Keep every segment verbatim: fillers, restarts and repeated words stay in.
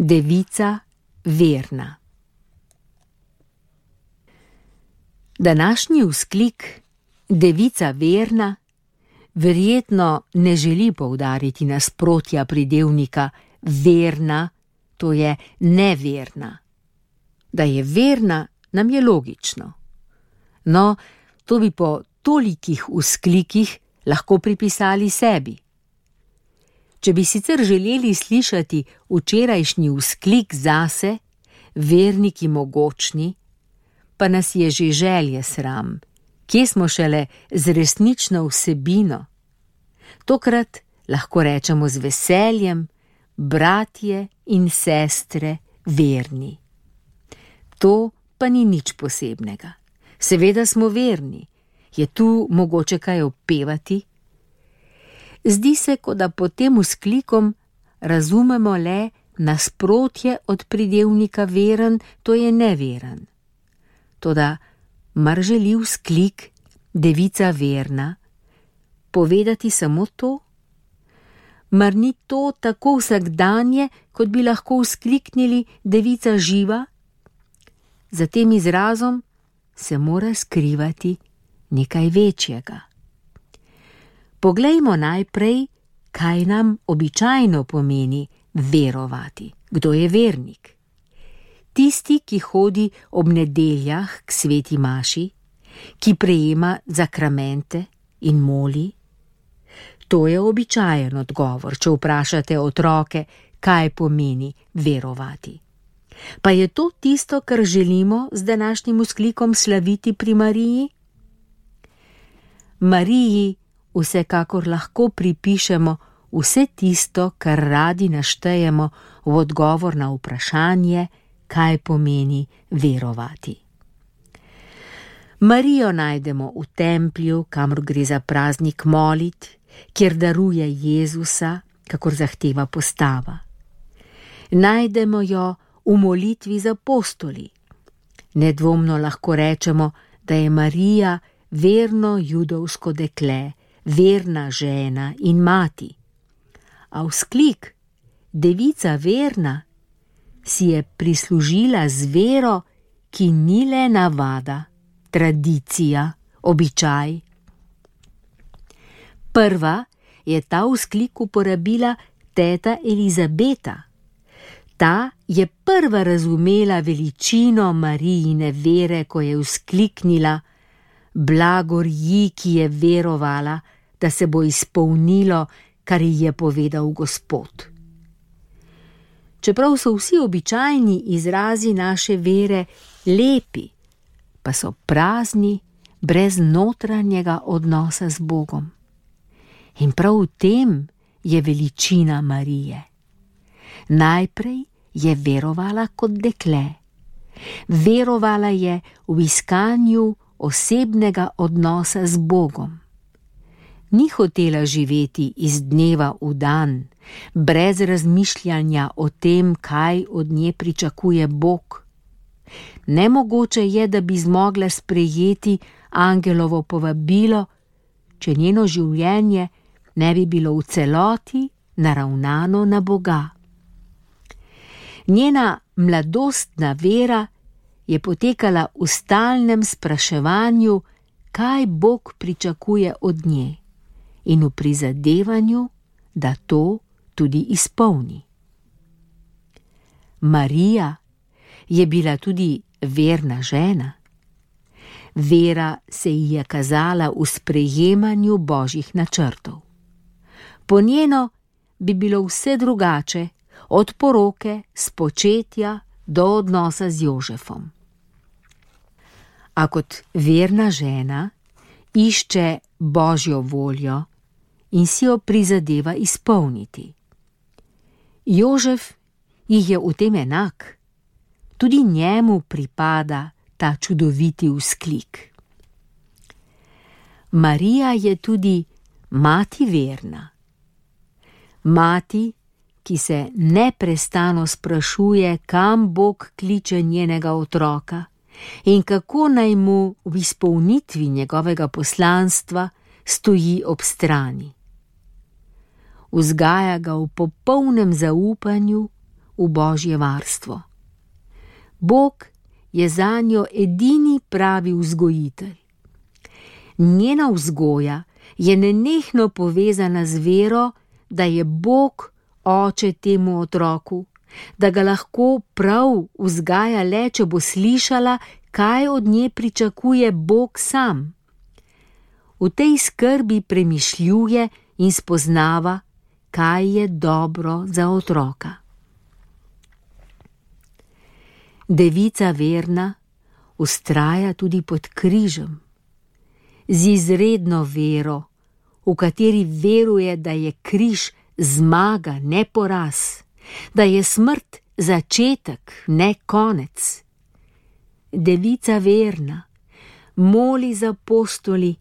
Devica verna. Današnji vzklik Devica verna verjetno ne želi poudariti nasprotja pridevnika verna, to je neverna. Da je verna, nam je logično. No, to bi po tolikih vzklikih lahko pripisali sebi. Če bi sicer želeli slišati včerajšnji vzklik zase, verniki mogočni, pa nas je že želje sram, kje smo šele z resnično vsebino. Tokrat lahko rečemo z veseljem, bratje in sestre verni. To pa ni nič posebnega. Seveda smo verni. Je tu mogoče kaj opevati? Zdi se, kot da pod tem vzklikom razumemo le nasprotje od pridevnika veren, to je neveren. Toda mar želi vzklik Devica verna povedati samo to? Mar ni to tako vsakdanje, kot bi lahko vzkliknili Devica živa? Za tem izrazom se mora skrivati nekaj večjega. Poglejmo najprej, kaj nam običajno pomeni verovati. Kdo je vernik? Tisti, ki hodi ob nedeljah k sveti maši, ki prejema zakramente in moli. To je običajen odgovor, če vprašate otroke, kaj pomeni verovati. Pa je to tisto, kar želimo z današnjim vzklikom slaviti pri Mariji? Mariji vsekakor lahko pripišemo vse tisto, kar radi naštejemo v odgovor na vprašanje, kaj pomeni verovati. Marijo najdemo v templju, kamor gre za praznik molit, kjer daruje Jezusa, kakor zahteva postava. Najdemo jo v molitvi z apostoli. Nedvomno lahko rečemo, da je Marija verno judovsko dekle, verna žena in mati. A vzklik Devica verna si je prislužila z vero, ki ni le navada, tradicija, običaj. Prva je ta vzklik uporabila teta Elizabeta. Ta je prva razumela veličino Marijine vere, ko je vzkliknila: blagor ji, ki je verovala, da se bo izpolnilo, kar ji je povedal Gospod. Čeprav so vsi običajni izrazi naše vere lepi, pa so prazni, brez notranjega odnosa z Bogom. In prav v tem je veličina Marije. Najprej je verovala kot dekle. Verovala je v iskanju osebnega odnosa z Bogom. Ni hotela živeti iz dneva v dan, brez razmišljanja o tem, kaj od nje pričakuje Bog. Nemogoče je, da bi zmogla sprejeti angelovo povabilo, če njeno življenje ne bi bilo v celoti naravnano na Boga. Njena mladostna vera je potekala v stalnem spraševanju, kaj Bog pričakuje od nje, in v prizadevanju, da to tudi izpolni. Marija je bila tudi verna žena. Vera se ji je kazala v sprejemanju Božjih načrtov. Po njeno bi bilo vse drugače, od poroke, spočetja do odnosa z Jožefom. A kot verna žena išče Božjo voljo in si jo prizadeva izpolniti. Jožef jih je v tem enak. Tudi njemu pripada ta čudoviti vzklik. Marija je tudi mati verna. Mati, ki se neprestano sprašuje, kam Bog kliče njenega otroka in kako naj mu v izpolnitvi njegovega poslanstva stoji ob strani. Vzgaja ga v popolnem zaupanju, v Božje varstvo. Bog je zanjo edini pravi vzgojitelj. Njena vzgoja je nenehno povezana z vero, da je Bog oče temu otroku, da ga lahko prav vzgaja le, če bo slišala, kaj od nje pričakuje Bog sam. V tej skrbi premišljuje in spoznava, kaj je dobro za otroka. Devica verna vztraja tudi pod križem, z izredno vero, v kateri veruje, da je križ zmaga, ne poraz, da je smrt začetek, ne konec. Devica verna moli za apostoli,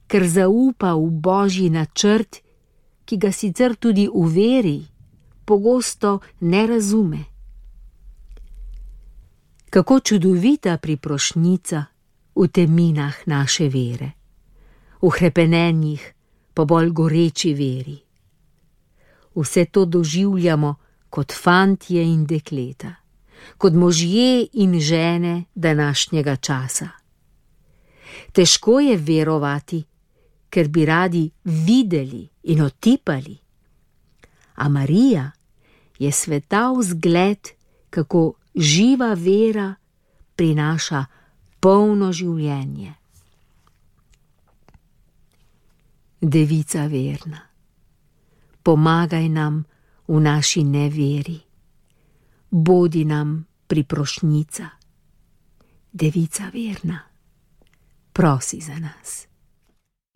ker zaupa v Božji načrt, ki ga sicer tudi v veri pogosto ne razume. Kako čudovita priprošnjica v teminah naše vere, v hrepenenjih pa bolj goreči veri. Vse to doživljamo kot fantje in dekleta, kot možje in žene današnjega časa. Težko je verovati, ker bi radi videli in otipali. A Marija je svetav zgled, kako živa vera prinaša polno življenje. Devica verna, pomagaj nam v naši neveri, bodi nam priprošnjica. Devica verna, prosi za nas.